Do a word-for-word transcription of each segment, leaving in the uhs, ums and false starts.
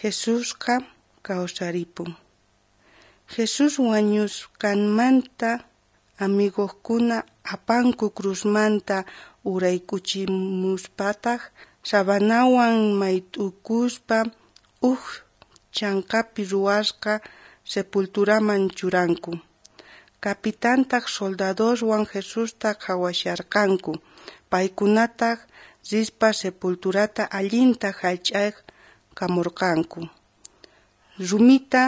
Jesusqa kawsaripun. Jesús wañusqanmanta amigojkuna apanku cruzmanta uraykuchimuspataj sabanawan mayt'ukuspa uj chhankapi ruwasqa sepulturaman churanku. Capitantaj soldadoswan Jesusta qhawasharqanku. Paykunataj rispa sepulturata allinta jallch'aj kamorqanku. Rumita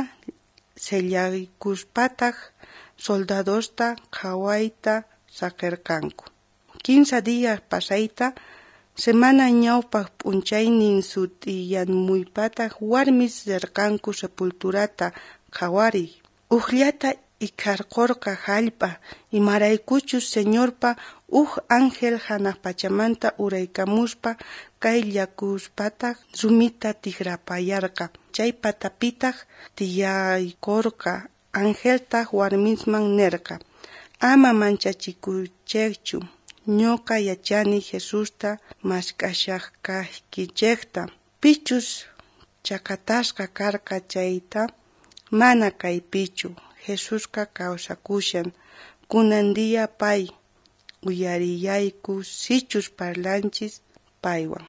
sellaykuspataj soldadosta qhawayta saqerqanku. Kinsa días pasayta, semana ñawpaj p'unchaynin sut'iyamuypataj warmis rerqanku sepulturata qhawariy. Ujllata ikharkorqa jallp'a, imaraykuchus Señorpa uj ángel janaj pachamanta uraykamuspa kayllakuspataj rumita tijrapayarqa. Chay patapitaj tiyaykorqa. Angeltaj warmisman nerqa: Ama manchachikuychejchu. Ñoqa yachani Jesusta mask'ashasqaykichejta. Pichus chakatasqa karqa chayta, mana kaypichu. Jesusqa kawsakushan. Kunan día pay uyariyayku sichus parlanchis paywan.